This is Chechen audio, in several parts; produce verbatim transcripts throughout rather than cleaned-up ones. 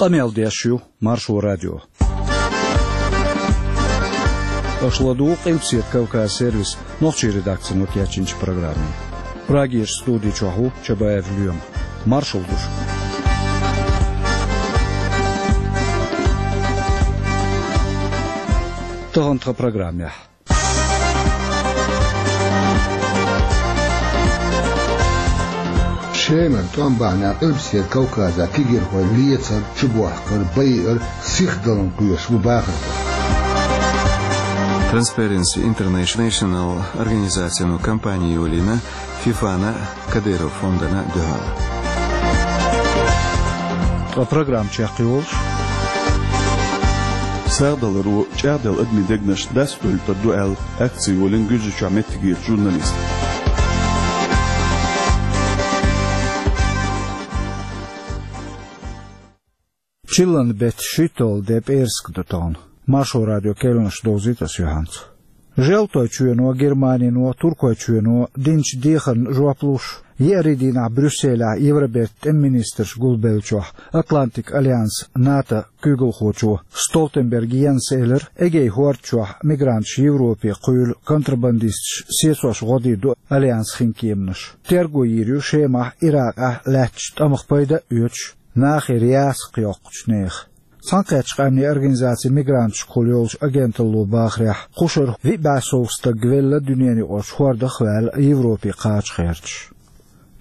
Къамел деш ю Маршо радио. Аша ладугӀу Къилбаседа Кавказ сервисан нохчийн редакцино кечйинчу программе. Прагерчу студи чохь ву Чабаев Лоьма. Маршалла ду шуьга. Тахана тхан программехь. Шемара тӀом бахьанехь Къилбаседа Кавказехь кегийрхой лецар, чубохкар, байар сихдаларна кхоьруш бу бахархой. Transparency International организацино кампани йолийна ФИФАна, Кадыров фондана дуьхьал. Ткъа программа чекхйолуш. Сагадаларо чӀагӀделла адамийн дегнаш дастадойтур ду аьлла, акци йолийна Гуьржийчохь меттигерчу журналисташа. Чиллан беттан шийтталгӀа де, пӀераска ду тахана. Маршо радион керланаш довзуьйту аса юьхьанца. Желтойчоьно, Германино, Туркойчоьно динчу дехарна жоп луш, еарин дийнахь Брюсселехь Евробертан тӀеман министраш гулбеллачохь Атлантикан альянсан, НАТО, куьйгалхочо Столтенберг Йенса элира, Эгейн хӀорда чохь мигранташ Европе кхуьйлу контрабандисташа сецош гӀо дийр ду альянсан хинкеманаш. Терго йийр ю Шемахь, Иракъехь лаьттачу тӀамах пайда а оьцуш, нахера яц кхайкхочу нехан. Цхьаьнакхеттачу къаьмнийн организацин мигранташкахула йолчу агенталло бахарехь, кху шарахь виъ бӀе сов стаг велла дуьненаюкъарчу хӀордах а ваьлла Европе кхача гӀерташ.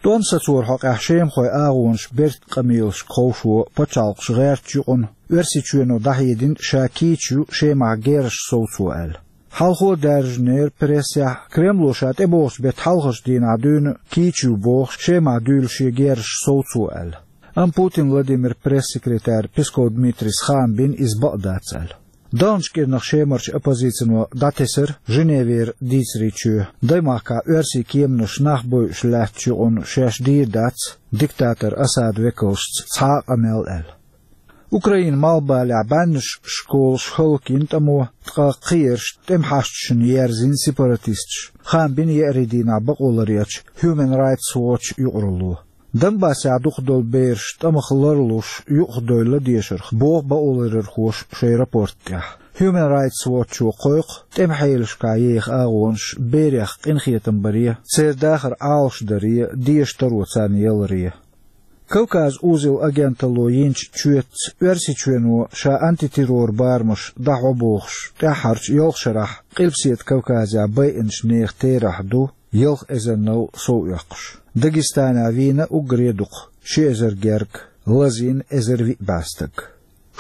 ТӀом сацоран хьокъехь шемахойн агӀонаш бертан къамелашка ховшо пачхьалкхаш гӀертачу юкъана Оьрсийчоьно дӀахьедина, ша кийча ю Шемахь герзаш совцо аьлла. Хьалхо а даьржинера прессехь, Кремло ша тӀебогӀучу беттан хьалхарчу дийнахь дуьйна кийча ю бохуш, Шемахь дуьйла шен герзаш совцо аьлла. Амма Путин Владимиран пресс-секретарь Песков Дмитрийс хаам бина, иза бакъ дац аьлла. Даханчу кӀирнах Шемарчу оппозицино дӀатесира Женевера дийцарийн чоь, даймахкахь оьрсийн кеманаш нах бойуш лаьттачу юкъана шаьш дийр дац диктатор Асадан векалшца цхьа а къамел аьлла. Украинан малхбалехь бӀеннаш школаш хӀаллакйина тӀамо, ткъа кхиерш тӀеман хьашташна ерзийна сепаратисташа, хаам бина еарин дийнахь бакъо ларъечу Human Rights Watch юкъаралло. Донбассехь дукха долу бераш тӀамах ларлуш юкъахдевлла дешарх, боху бакъоларъярхоша шайн рапорт тӀехь. Human Rights Watch-о кхойкху тӀеман хьелашкахь еха агӀонаш берех къинхетам баре, церан дахар Ӏалашдаре, деша таро царна яларе. Кавказ узел агенталло йинчу чоьтаца Оьрсийчоьно ша антитеррор барамаш дӀахьо бохуш, тӀаьххьарчу ялх шарахь Къилбаседа Кавказехь байинчу нехан терахь ду ялх эзарнал сов оьккхуш. Дагестанехь вийна уггаре а дукха, ши эзар гергга, лазийна эзар виъ бӀе стаг.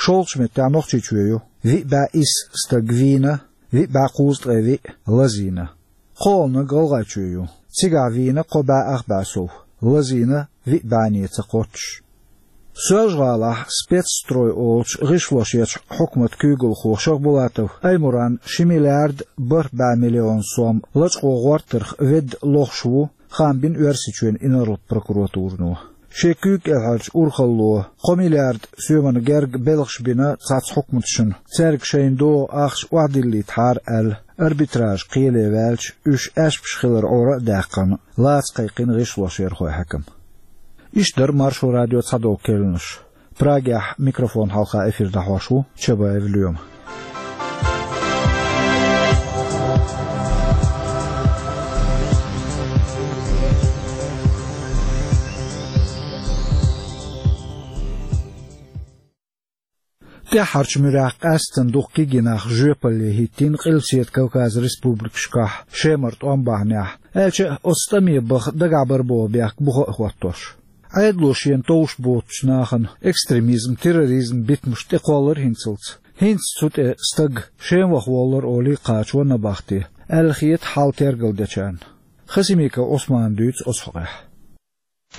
ШолгӀачу меттехь Нохчийчоь ю, виъ бӀе исс стаг вийна, виъ бӀе кхузткъе виъ лазийна. КхоалгӀаниг ГӀалгӀайчоь ю, цигахь вийна кхо бӀе ах бӀе сов, лазийна виъ бӀене ца кхоччуш. Соьлжа-ГӀалахь Спецстрой олучу гӀишлошъечу хьукматан куьйгалхо Шахбулатов Аймуран ши миллиард бархӀ бӀе миллион сом лачкъо гӀортарх ведда лохуш ву, хаам бина Оьрсийчоьнан инарлат прокуратурано. Шен куьйга кӀелхьарчу урхалло кхо миллиард соьмана герга белхаш бина цхьацца хьукматашна, цаьрга шайна догӀу ахча охьадиллийтахьара аьлла, арбитраж кхеле ваьлча, уьш аьшпаш хилар Ӏора а даьккхина, лаца кхайкхина гӀишлошъярхойн хьаькам. Иштта дара Маршо радион цхьадолу керланаш. Прагехь микрофон хьалха эфир дӀахьош ву Чабаев Лоьма. ТӀаьххьарчу муьрехь къаьсттина дукха кегий нах жоьпалле хӀиттийна Къилбаседа Кавказан республикашкахь Шемара тӀом бахьанехь, аьлча а оцу тӀаме баха дагахь бара боху бехк буха а хӀоттош. Ӏедало шена товш боцучу нахана экстремизм, терроризм битамаш тӀекхоллар хӀинцалц. ХӀинца цу тӀе стаг Шема ваха воллар олий кхачо набахте, аьлла хета хьал тергалдечарна. Хасимиков Ӏусмана дуьйцу оцу хьокъехь.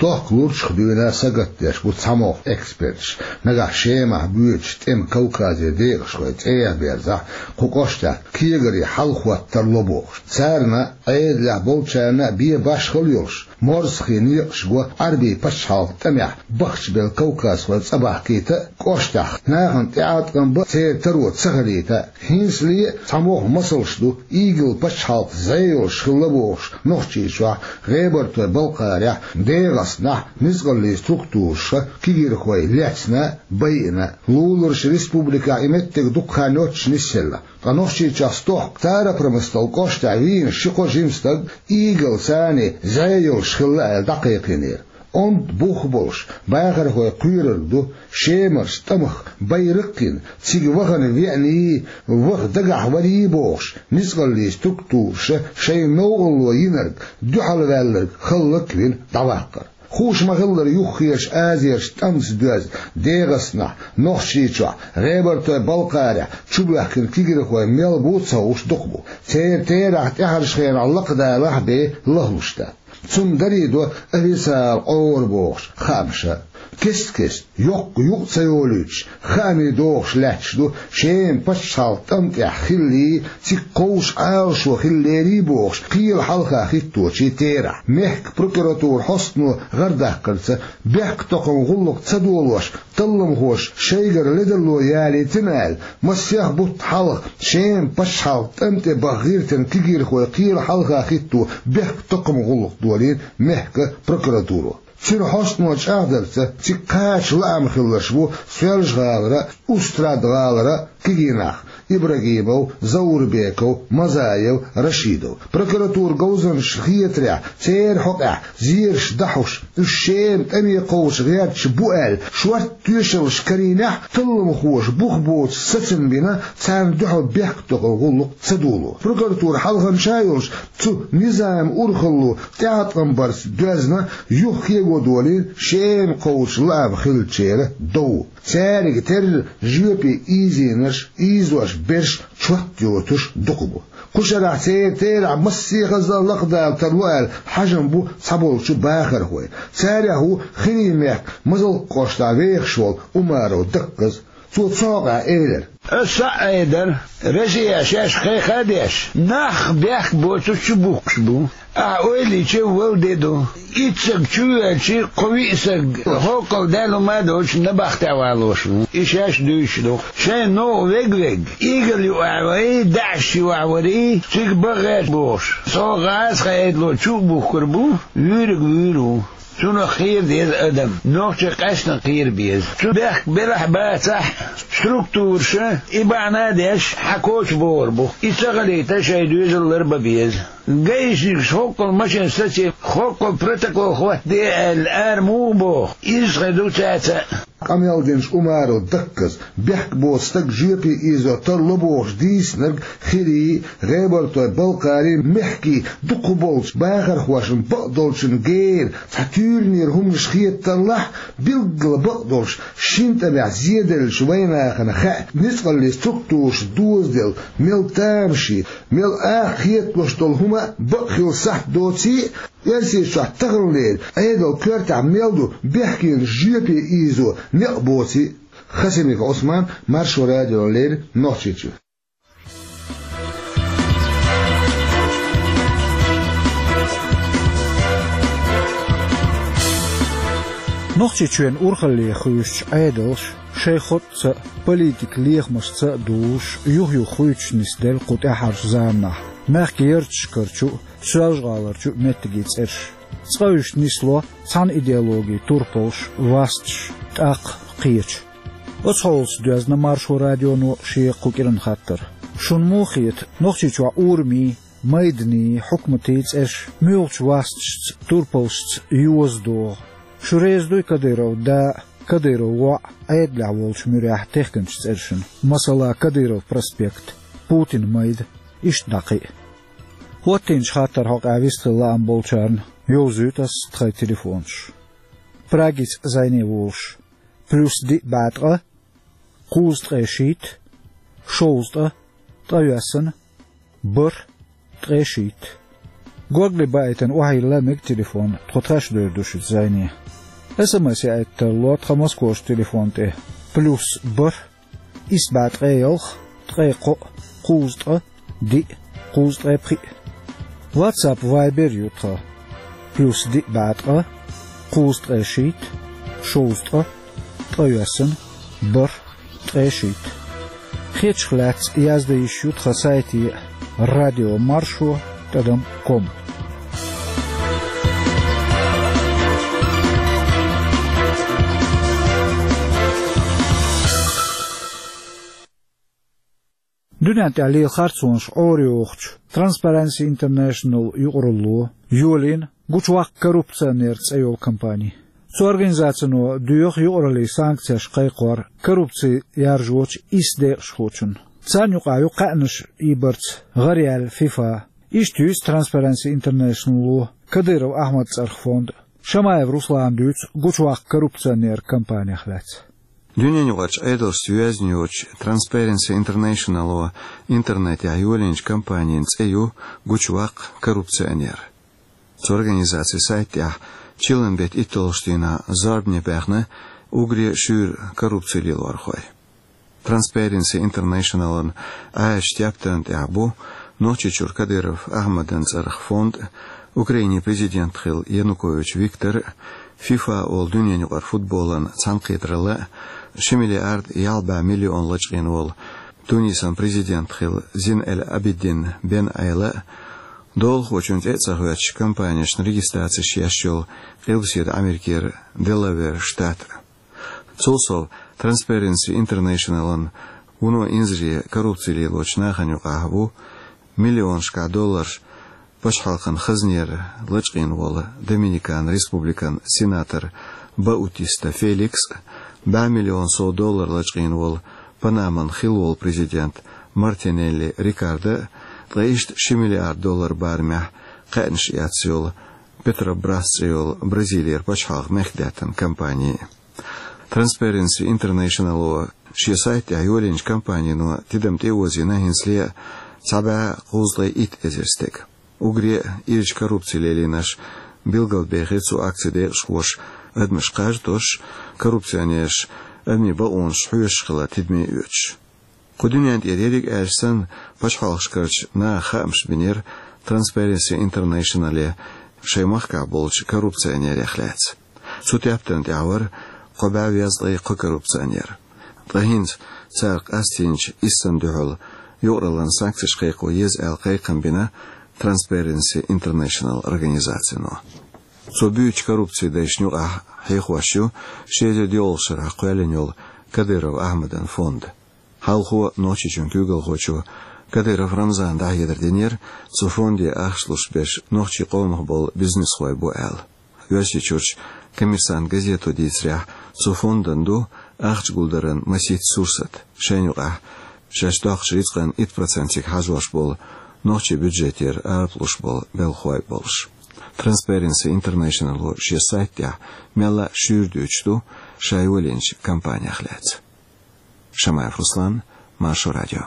Дохка лурчах дуьйна сагатдеш бу цхьамогӀа эксперташ, нагахь Шемахь боьдучу тӀеман Кавказан декъашхойн цӀе а берзахь, кху кӀоштахь кегаре хьал хӀоттор ло бохуш. Царна, Ӏедалехь болчарна а бен башхалла йолуш, Морзахий некъаш го Ӏарбий пачхьалкхан тӀамехь бахчабелла кавказхой цӀа бахкийта а, кӀоштахь нахана тӀеӀаткъам бан а, церан таро ца хилийта а. ХӀинцале а цхьа могӀа масалш ду, ИГИЛ пачхьалкх зӀе йолуш хилла бохуш, Нохчийчохь, ГӀебартойн Балкхарехь, ДегӀастанахь ницкъаллийн структураша кегийрхой лецна а, байина а. Луларчу республикехь и меттиг дукха хан йоццуш нисъелла. Ткъа Нохчийчохь стохка Старопромыслан кӀоштахь вийна ши-кхо жима стаг ИГИЛ-ца зӀе йолуш хилла аьлла дӀакхайкхийнера. Онда бух болуш, бахархой кхоьрург ду, Шемарчу тӀамах байракх а йина, цига вахана веаний, ваха дагахь варий бохуш, ницкъаллийн структураша шайн новкъарло йинарг, дуьхьалваьлларг хӀаллак а вина дӀаваккхар. Хууш ма-хиллара, юххерчу Азерчу тӀамца доьзна ДегӀастанахь, Нохчийчохь, ГӀебартойн Балкхарехь чубоьхкина кегийрхой мел бу а ца хууш дукха бу. Церан терахь тӀаьхьарчу хенахь лакхадалахь а бен лахлуш дац. Цунна дарий до официалан къора бохуш хаамаш а. Кест-кеста, йоккха юкъа ца йолуьйтуш, хаамийн догӀуш лаьтташ ду Шеман пачхьалкхан тӀам тӀехь хиллий, цига кхочуш Ӏалашо хилла лерий бохуш, кхелан хьалха хӀитточийн терахь. Мехкан прокуратуран хьостано гӀардаккхарца, бехктакхаман гӀуллакх ца долош, талламхоша шайгара ледарло ялийтина аьлла, масех бутт хьалха Шеман пачхьалкхан тӀам тӀе баха гӀиртина кегийрхой кхелан хьалха хӀитто бехктакхаман гӀуллакх долийна мехкан прокуратуро. Цуьнан хьостано чӀагӀдарца, цига кхача лаам хилларш бу Соьлжа-ГӀалара а, Устрада-ГӀалара а кегий нах: Ибрагимов Заурбеков, Мазаев Рашидов. Прокуратуран говзанчашна хетарехь, церан хьокъехь зераш дӀахьош, уьш Шеман тӀаме кхочуш гӀерташ бу аьлла, шортта тоьшаллаш карийнехь а, талламхоша бух боцуш сацам бина, царна дуьхьал бехктакхаман гӀуллакх ца доло. Прокуратуран хьалханча а йолуш, цу низаман урхалло тӀеӀаткъам барца доьзна юххе а го долийна Шеман кхочуш лаам хиллачеран дов. Цаьрга терра жоьпе ийзийнарш, ийзош берш чот йоцуш дукха бу. Кху шарахь церан терахь массехаза а лакхадала тарло аьлла хьажам бу цхьаболчу бахархойн. Царех ву Хирийн мехкан Мазалккан кӀоштахь вехаш волу Умаров Дакказ. Цо цу хьокъехь элира: «Аса схьа а айдара, Россия шаьш кхайкха а деш, нах бехк боцург чубухкуш бу. Ахьа ойла йича, вала де ду. Итт саг чувоьлча, кхо-виъ саг хӀоккхул даьлла хӀума а доцуш набахтехь валош ву. И шаьш дуьйцуш ду. Шайн новкъа вега-вега, ИГИЛ юкъахь вай, ДАИШ юкъахь варий, цига баха гӀерта бохуш. Цо гӀазкхи Ӏедало чу а бухкур бу, вуьйриг вуьйр ву. Цунах кхера деза адам, нохчий къаьсттина кхера беза. Цу бехк белахь а, бацахь а, структураша и бахьана а деш, хьан коча богӀур бу. И ца хилийта, шайн доьзал ларбан беза. Гаишникаша хӀоккхул машен саций, хӀоккхул протокол хӀоттаде аьлла, ара муха боху? Иза хир ду цаьрца а». Къамел динчу Умаров Дакказ, бехк боцу стаг жоьпе ийзо тарло бохуш дийцинарг Хирийн, ГӀебартойн Балкхарийн мехкийн дукхахболчу бахархошна бакъдолчун гера цхьа туьйранера хӀуманаш хетарехь, билггала бакъдолуш шина тӀамехь зеделлачу вайнахана хаьа, ницкъаллийн структураша дозаделла мел тамашийна, мел акха хеталуш долу хӀума а бакъ хила сахьт доций а, Оьрсийчохь таханлера Ӏедалан коьртехь мел ду бехкенаш жоьпе ийзо некъ боций а. Хасимиков Ӏусман, Маршо радиона леррина, Нохчийчуьра. Нохчийчоьнан урхалле хуьйсучу Ӏедалша шайн хотӀца а, политикан лехамашца а дузуш, юх-юха хуьйцуш нисделла кху тӀаьххьарчу заманахь мехкан ярташкарчу а, Соьлжа-ГӀаларчу а меттигийн цӀераш. Цкъа уьш нисло цхьана идеологин турпалш, васташ, тӀаккха кхечу. Оцу хьолаца доьзна Маршо радионо шен кху кӀиран хаттар. Шуна муха хета, Нохчийчохь урамийн, майданийн, хьукматийн цӀераш муьлхачу васташца, турпалшца йоза догӀу? Шу реза дуй Кадыровн да а, Кадыровн воӀ а Ӏедалехь волчу муьрехь техкинчу цӀерашна, масала, Кадыров проспект, Путинан майда, иштта дӀа кхин а? ХӀоттийначу хаттаран хьокъехь вистхила лаам болчарна йовзуьйту ас тхайн телефонаш. Прагица зӀене волуш: плюс диъ бӀе ткъа, кхузткъе шийтта, шовзткъа, ткъайоьссана, бархӀ, ткъе шийтта. Горгали баийтина охьайилла мега телефон, тхо тхаьш девр ду шуьца зӀене. СМС яийта тарло тхан Москварчу телефон тӀе: плюс бархӀ, исс бӀе ткъе ялх, ткъе кхоъ, кхузткъа, диъ, кхузткъе пхиъ. WhatsApp, Viber ю тхан. Плюс диъ бӀе ткъа, кхузткъе шийтта, шовзткъа, ткъе йоьсна, бархӀ, ткъе шийтта. Хеташ лаьцна яздан йиш ю тхан сайте радио маршо тӀадам ком. Дуьнен тӀехь лела харцонаш Ӏорайохучу Transparency International юкъаралло йолийна «Гучуваккха коррупционер» цӀе йолу кампани. Цу организацино доьху юкъараллин санкцеш кхайкхор коррупци яржочу исс декъашхочунна. Царна юкъахь ю кхаьънаш ийбарца гӀараяьлла ФИФА. Иштта юьйцу Transparency International-о Кадыров Ахьмадан цӀарах фонд. Шамаев Руслана дуьйцу «Гучуваккха коррупционер» кампанех лаьцна. Дуьненаюкъарчу Ӏедалшца йоьзна йоцучу Transparency International-о интернетехь йолийначу кампанин цӀе ю «Гучуваккха коррупционер». Цу организацин сайт тӀехь чиллан беттан итталгӀачу дийнахь зорбане баьхна уггаре шуьйра коррупци лелорхой. Transparency International-ан Ӏаьржачу тептарна тӀехь бу Нохчийчуьра Кадыров Ахьмадан цӀарах фонд, Украинин президент хилла Янукович Виктор, ФИФА олу дуьненаюкъара футболан цхьаьнакхетаралла, ши миллиард ялх бӀе миллион лачкъийна волу Тунисан президент хилла Зин эль-Абидин Бен Ӏела, долахочун цӀе а ца хоьттуш, компанешна регистрацеш еш йолу Къилбаседа Америкера Делавер штат. Цул сов, Transparency International-ан вуно инзаре коррупци лелочу нахана юкъахь ву миллионашкахь долларш пачхьалкхан хазнера лачкъийна волу Доминикан Республикан сенатор Баутиста Феликс, бӀе миллион сов доллар лачкъийна волу Панаман хилла волу президент Мартинелли Рикардо, ткъа иштта ши миллиард доллар барамехь кхаьънаш эцна йолу Петробрас цӀе йолу Бразилера пачхьалкхан мехкдаьттан компани. Transparency International-о шен сайт тӀехь йолийначу кампанино тидам тӀеозийна хӀинцале а цхьа бӀе кхузткъе итт эзар стаг. Уггаре а ирча коррупци лелийнарш билгалбехира цу акцин декъашхоша, адамаш кхаж а тосуш, коррупционераш адамийн бакъонаш хьоьшуш хилар тидаме оьцуш. Кху дуьнен тӀера ерриг а аьлча санна, пачхьалкхашкарчу наха хаамаш бинера Transparency International-е шайн махкахь болчу коррупционерех лаьцна. Цу тептарна тӀехь вара кхо бӀе везткъе кхо коррупционер. Ткъа хӀинца цара къастийначу иссанна дуьхьал юкъараллин санкцеш кхайкхо еза аьлла кхайкхам бина Transparency International организацино. Цо буьйцучу коррупцин дайшна юкъахь хьехош ю ши эзар доьалгӀачу шарахь кхоьллина йолу Кадыров Ахьмадан фонд. Хьалхо Нохчийчоьнан куьйгалхочо Кадыров Рамзана дӀахьедар динера, цу фонде ахча луш берш нохчийн къомах болу бизнесхой бу аьлла. Оьрсийчуьрчу «Коммерсант» газето дийцарехь, цу фондана ду ахча гулдаран масийтта сурсат, шайна юкъахь шаьш доккхучу рицкъан итт процентиг хьажош болу, нохчийн бюджетера арапалуш болу белхалой болуш. Transparency International-о шен сайт тӀехь мелла а шуьйра дуьйцуш ду ша йолийначу кампанех лаьцна. Шамаев Руслан, Маршо радио.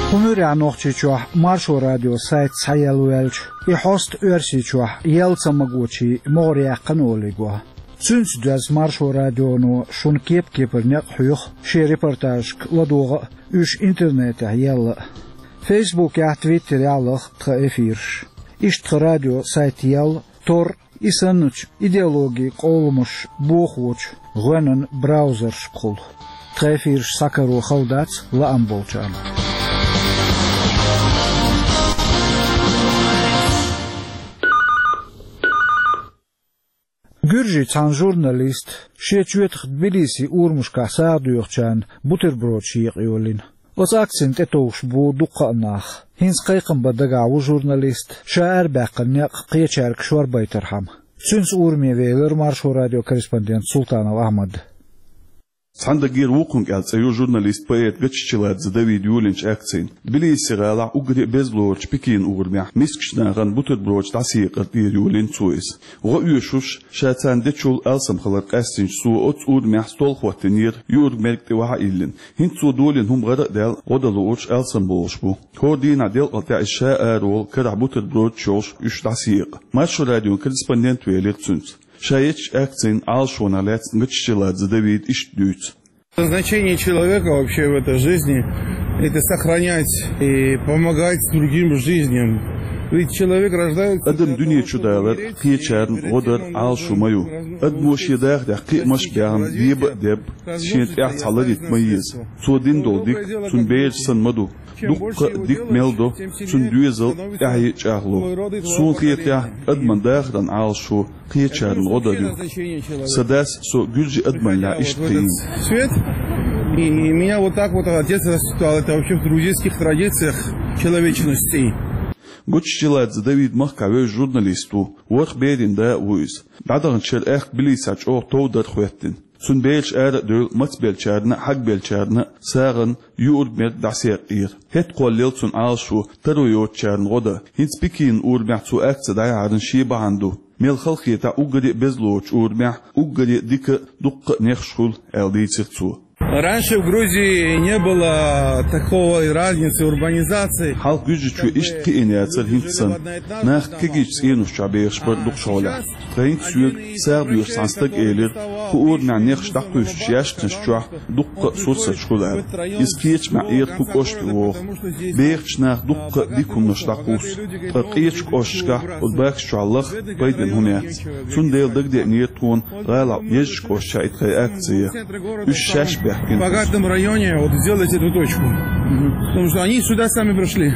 ХӀумуьрехь Нохчийчохь Маршо радио сайт схьаелла ваьлча, и хьоста Оьрсийчохь елла ца магочийн могӀарехь кхана олий го. Цуьнца доьзна Маршо радионо шуна кеп-кепара некъ хьоьху шен репортажашка ладогӀа а, уьш интернетехь елла а. Фейсбукехь, Твиттерехь лаха тхан эфираш. Иштта тхан радио сайт елла, Tor, и санначу идеологин къоламаш бохочу гӀоьнан браузершкахула. Тхан эфираш схьакаро хала дац лаам болчарна. Гуьржийн цхьана журналиста шен чоьтах Тбилисин урамашкахь сагӀа доьхучарна бутербродаш екъа йолийна. Оцу акцина тӀетовжуш бу дуккха а нах. ХӀинца кхайкхам бан дагахь ву журналист, ша арабаьккхина некъ кхечаьрга шорбайтархьама. Цуьнца ураме велира Маршо радион корреспондент Султанов Ахьмад. Цхьана дагера «Вукхунг» аьлла цӀе ю журналист, поэт Гаччиладзе Давида йолийначу акцина. Тбилиси гӀалахь уггаре а беза лоручу Пекин урамехь мискачу нахана бутербродаш дӀасаекъар тӀера йолийна цо иза. ГӀо оьшуш, ша царна дечул алсам хилар къаьстинчу цо оццу урамехь стол хӀоттийнера, юург-мерг тӀе ваха а йиллина. ХӀинца цо долийна хӀума гӀара а даьлла, гӀо дан луурш алсам болуш бу. ХӀора дийнахь делкъал тӀехь иза ша араволу, карахь бутербродаш йолуш уьш дӀасаекъа. Маршо радион корреспондент велира цуьнца. Ша ечу акцина Ӏалашонах лаьцна Гаччиладзе Давида иштта дуьйцу. Значение человека вообще в этой жизни — это сохранять и помогать другим жизням. Ведь человек рождается Адам для дуьне того, чу чтобы далар умереть и кхечарна оставить гӀо дар Ӏалашо ма ю. Адамо шен дахарехь кхиамаш а баьхна, деба а деб, шена тӀехь цхьа ларийта ма еза. Цо дина долу дика цуьнан бераш санна ма ду. Дуккха а дика мел до, цуьнан доьзал тӀаьхье а чӀагӀло. Суна хетарехь, адаман дахаран Ӏалашо кхечарна гӀо дар ю. Сан дас со гуьржийн адамаллехь иштта кхиийна. Свет. И меня вот так вот отец воспитал. Это вообще в грузинских традициях человечности. Гоччаладзе Давид махкахь вевза журналист ву, ворхӀ берийн да а ву иза. ДӀадаханчу шарахь Тбилисехь чӀогӀа тов дара хӀоьттина. Цуьнан бераш ара а девлла, мацбеллачарна а, хьагбеллачарна а сагӀина юург-мерг дӀасаекъера. ХӀетахь кхоллаелла цуьнан Ӏалашо таро йоцучарна гӀо дан. ХӀинца Пекинан урамехь цо акци дӀаяхьаран шен бахьана ду. Мел хала хетахь, уггаре а беза лоцучу урамехь уггаре а дика, дуккха а нехаш хуьлу, аьлла дийцира цо. Раньше в Грузии не было такой разницы урбанизации. Хьалха Гуьржийчоь иштта кхиийна яцара хӀинца санна. Нах кегийчу цӀеношкахь бехаш бара дукхачу хьолехь. Ткъа хӀинца соьга сагӀа доьхуш цхьана стага элира, кху урамехь нехаш дӀакхуьссучу яьшканаш чохь дуккха а сурсаташ хуьлу аьлла. Иза кхечамехь эра кху кӀоште вогӀу. Бехачу наха дуккха а дика хӀуманаш дӀакхуссу. Ткъа къечу кӀошташкахь оцу бакхаш чохь лаха пайдина хӀума яц. Цундела дагадеанера тхуна гӀалахь езачу кӀошташкахь и тхайн акци. Уьш шаьш баьхкина. В богатом районе вот сделать эту точку. Потому что они сюда сами пришли.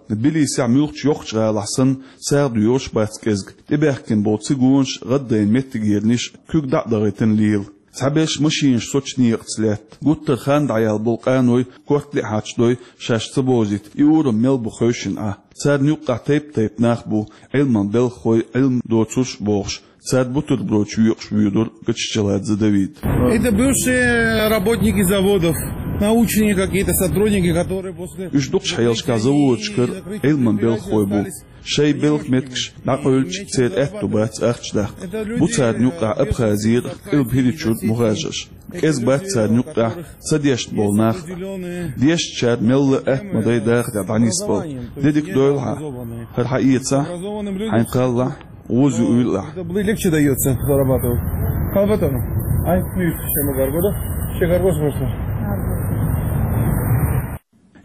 Тбилисехь муьлххачу йоккхачу гӀалахь санна, сагӀа доьхуш бац кӀезиг. ТӀебаьхкина болу цигонаш, гӀаддайна меттигерниш куьг дӀа а дахийтина лела. Цхьаберш машинаш соцучу некъаца лаьтта. Гуттар а хан дӀаяьлла болу къаной, корта лиъ хьачадой, шаьш ца бовзийта, и урам мел бу хевшина Ӏа. Царна юккъехь тайп-тайпа нах бу, Ӏилман белхахой, Ӏилма доцурш а бохуш, цара бутербродаш йоькъуш воьдура Гоччаладзе Давид. Это бывшие работники заводов, научные какие-то сотрудники, которые после... Уьш дукхачу хьелашкахь заводашкара Ӏилман белхахой бу. Шайн белхан меттигаш дӀакъевлича, церан аьтто бац ахча даккха. Бу царна юккъехь Абхазера, Къилба ХӀирийчуьра мухажарш. КӀезиг бац царна юккъехь ца дешна болу нах. Дешначара мелла а атта ма дай дахарехь дӀанисбала. Де дика дойла хьан. ХӀара хьаэцахь, хьайна кхаллахь, гӀоза юуйла ахь. Это было легче даётся, зарабатывал. Хьан батана? Ай, ну, всем гаргода. Все гаргоз просто.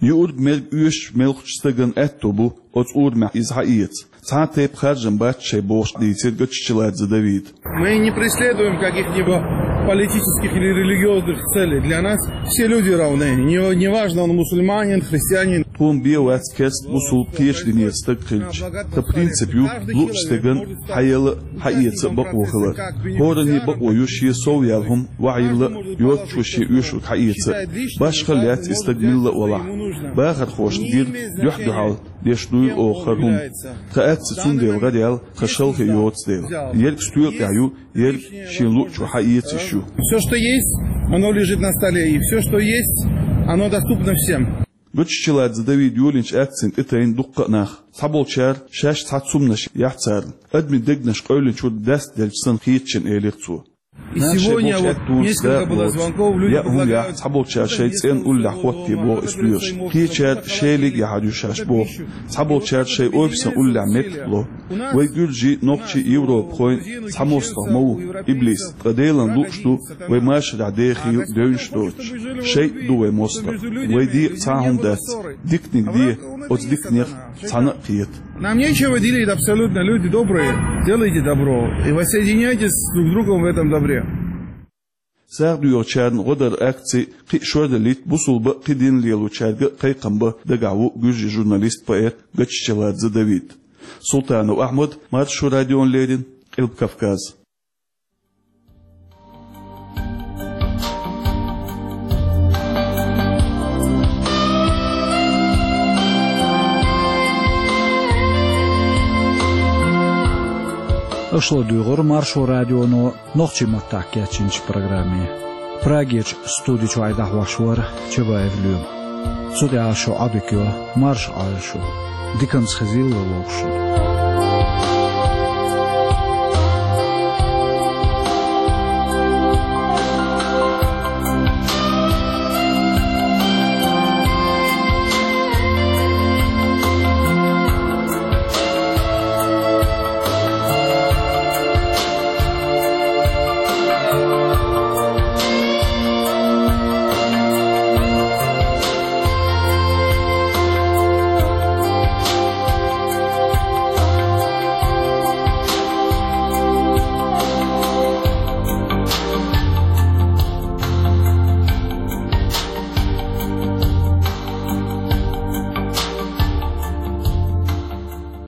Юург-мерг оьшучу мелхачу стагана аьтто бу оцу урамехь иза хьаэца. Цхьа а тайпа харжам бац шайн бохуш дийцира Гоччаладзе Давида. Мы не преследуем каких-либо политических или религиозных целей. Для нас все люди равны. Не, неважно, он мусульманин, христианин. Тхуна бен вац керста, бусулба, кхечу динера стаг хилча. Тхан принцип ю луъучу стеган хьаела а, хьаэца а бакъо хилар. ХӀоранна бакъо ю шен сов яьлла хӀума ваьхьийла а, йоццачо шен оьшург хьаэца а. Башхалла яц и стаг милла а валахь. Бахархошна гира дуьхь-дуьхьал деш дуйла оха хӀара хӀума. Тхан акци цундела гӀараьлла, тхан шалхе йоцу дела. Ерг стоьла тӀехь ю, ерг шен луъучо хьаэца йиш ю. Все, что есть, оно лежит на столе. И все, что есть, оно доступно всем. Гоччаладзе Давида йолийначу акцина тӀетайна дуккха а нах. Цхьаболчара шаьш цхьа цуманаш яхь царна. Адамийн дегнаш къевлинчуьра даста делча санна хетачун элира цо. И сегодня вот несколько было звонков, люди звонят. Цхьаболчара шайн цӀенна уллехь хӀотте боху и стоьлаш. Кхечара шелиг яхьар ю шаьш боху. Цхьаболчара шайн офисан уллехь меттиг ло. Вай гуьржий, нохчий европахойн цхьа мостагӀа ма ву, иблис, ткъа Делан лууш ду вай машарехь дехийла девнаш доцуш. ШайтӀа ду вай мостагӀа. Вай декъа цхьа а хӀума дац. Диканиг де, оцу диканех цхьаьна а кхета. Нам нечего делить абсолютно, люди добрые, делайте добро и воссоединяйтесь друг с другом в этом добре. СагӀа доьхучарна гӀо дар акци кхин а шордалийта бусулба а, кхин дин лелочаьрга а кхайкхам бан дагахь ву гуьржийн журналист, поэт Гоччаладзе Давид. Султанов Ахьмад, Маршо радиона леррина, Къилба Кавказ. Аша ладуьйгӀура Маршо радионо нохчийн маттахь кечйинчу программе. Прагерчу студи чуьра дӀахьош вара Чабаев Лоьма. Цу тӀехь шун Ӏодика йо, марша Ӏойла шу. Диканца хезийла вай вовшашна.